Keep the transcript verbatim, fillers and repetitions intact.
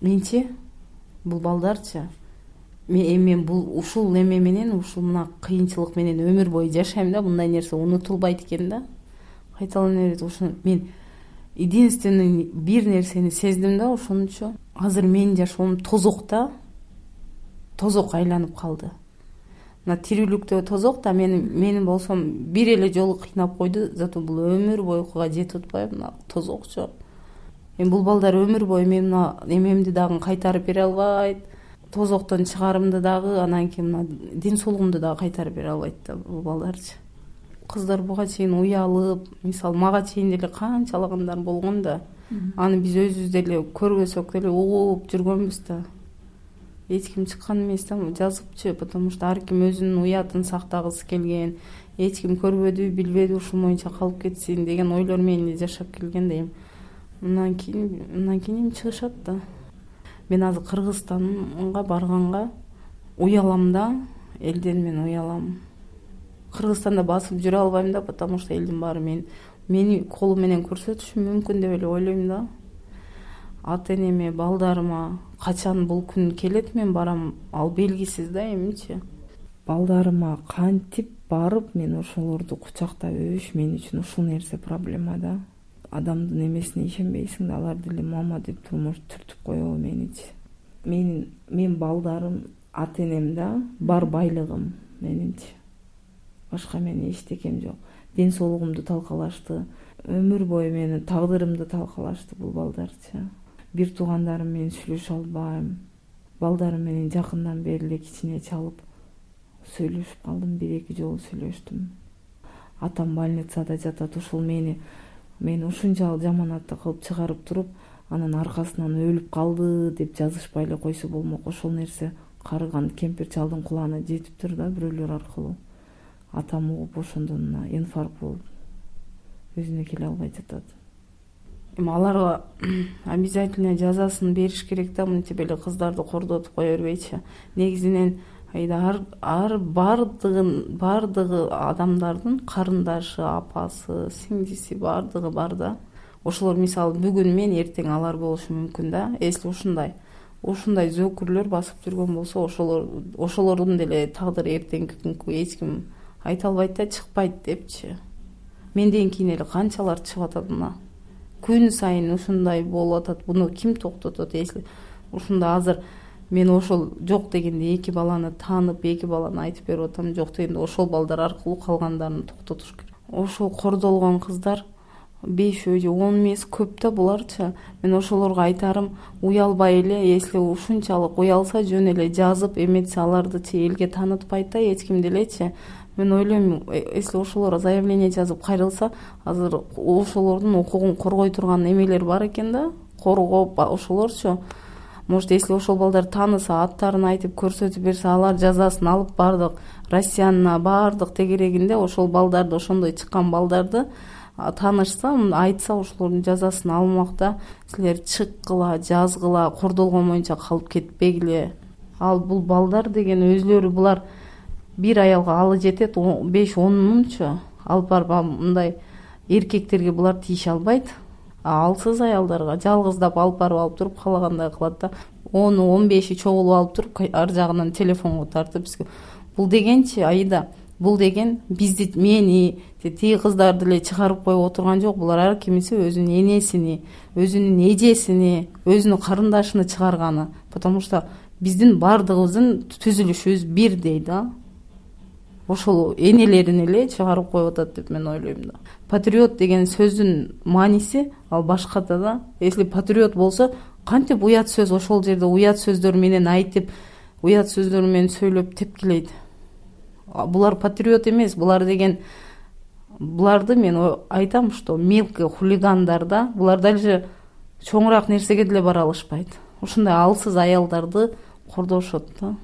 менчи бул балдарчы мен бул ушул эме менен ушул мына кыйынчылык менен өмүр бою жашайм да, мындай нерсе унутулбайт экен да, кайталана берет. Ошону мен единственный бир нерсени сездим да, ошонучу азыр менин жашоом тозок да, тозок айланып калды. Мына тирүүлүктө тозок да, мен менин болсом бир эле жолу кыйнап койду, зато бул өмүр боюга жетип атпайбы, мына тозокчу. Эми бул балдар өмүр бою мен мына эмемди дагы кайтарып бере албайт, тозоктон чыгарымды дагы, анан кийин мына ден соолугумду дагы кайтарып бере албайт да бул балдарчы. Кыздар буга чейин уялып, мисалы мага чейин деле канчалагандар болгон да, аны биз өзүбүз деле көрбөсөк деле угуп жүргөнбүз да. Эч ким чыккан эмес да, жазыпчы, потому что ар ким өзүнүн уятын сактагысы келген, эч ким көрбөдү, билбеди, ушул боюнча калып кетсин деген ойлор менен эле жашап келген дейм. Мындан кийин мындан кийин эми чыгышат да. Мен азыр Кыргызстанга барганга уялам да, элден мен уялам. Кыргызстанда басып жүрө албайм да, потому что элдин баары мен мени колу менен көрсөтүшү мүмкүн деп эле ойлойм да. Ата энеме, балдарыма качан бул күн келет мен барам, ал белгисиз да эмичи. Балдарыма кантип барып мен ошолорду кучактап өбүш мен үчүн ушул нерсе проблема да. Адамдын эмесине ишенбейсиң да, алар деле мама деп турмуш түртүп коебу меничи. Мен мен балдарым, ата энем да бар байлыгым менинчи. Башка менин эчтекем жок. Ден соолугумду талкалашты, өмүр бою менин тагдырымды талкалашты бул балдарчы. Бир туугандарым менен сүйлөшө албайм. Балдарым менен жакындан бери эле кичине чалып сүйлөшүп калдым, бир эки жолу сүйлөштүм. Атам больницада жатат, ушул мени мени ушунчалык жаманатта кылып чыгарып туруп, анан аркасынан өлүп калды деп жазышпай эле койсо болмок. Ошол нерсе карыган кемпир чалдын кулагына жетиптир да бирөөлөр аркылуу. Атам угуп ошондон инфаркт болуп өзүнө келе албай жатат. Эми аларга обязательно жазасын бериш керек да, мынтип эле кыздарды кордотуп кое бербейчи. Негизинен айда ар, ар бардыгын бардыгы адамдардын карындашы, апасы, сиңдиси бардыгы бар да. Ошолор мисалы бүгүн мен, эртең алар болушу мүмкүн да. Эсли ушундай ушундай зөөкүрлөр басып жүргөн болсо, ошолор ошолордун деле тагдыры эртеңки күнкү эч ким айта албайт да, чыкпайт депчи. Менден кийин эле канчалар чыгып атат мына. Күн сайын ушундай болуп атат. Буну ким токтотот? Эсли ушунда азыр мен ошол жок дегенде эки баланы таанып, эки баланы айтып берип атам. Жок дегенде ошол балдар аркылуу калгандарын токтотуш керек. Ошол кордолгон кыздар бешөө же он эмес, көп да буларчы. Мен ошолорго айтарым, уялбай эле, если ушунчалык уялса жөн эле жазып эметсе алардычы элге таанытпайт да эч ким делечи. Мен ойлойм, если ошолор заявление жазып кайрылса, азыр ошолордун укугун коргой турган эмелер бар экен да, коргоп ошолорчу. Может, если ошол балдар тааныса, аттарын айтып көрсөтүп берсе, алар жазасын алып бардык Россиянына бардык тегерегинде ошол балдарды, ошондой чыккан балдарды таанышса, айтса, ошолордун жазасын алмакта, силер чыккыла, жазгыла, кордолгон боюнча калып кетпегиле. Ал бул балдар деген өзлөрү булар бир аялга алы жетет беш он мыңчу. Алып барып мындай эркектерге булар тийише албайт. Алсыз аялдарга жалгыздап алып барып алып туруп каалагандай кылат да. он он беши чогулуп алып туруп ар жагынан телефонго тартып бизге. Бул дегенчи Аида, бул деген бизди, мени, тиги кыздарды эле чыгарып коюп отурган жок. Булар ар кимиси өзүнүн энесини, өзүнүн эжесини, өзүнүн карындашын чыгарганы. Потому что биздин бардыгыбыздын түзүлүшүбүз бирдей да. Ошол энелерин эле чыгарып коюп атат деп мен ойлойм да. Патриот деген сөздүн мааниси ал башкада да. Если патриот болсо, кантип уят сөз ошол жерде уят сөздөр менен айтып, уят сөздөр менен сөйлөп тепкилейт. Булар патриот эмес, булар деген буларды мен айтам, что мелкий хулигандар да, булар даже чоңураак нерсеге деле бара алышпайт. Ушундай алсыз аялдарды кордошот да.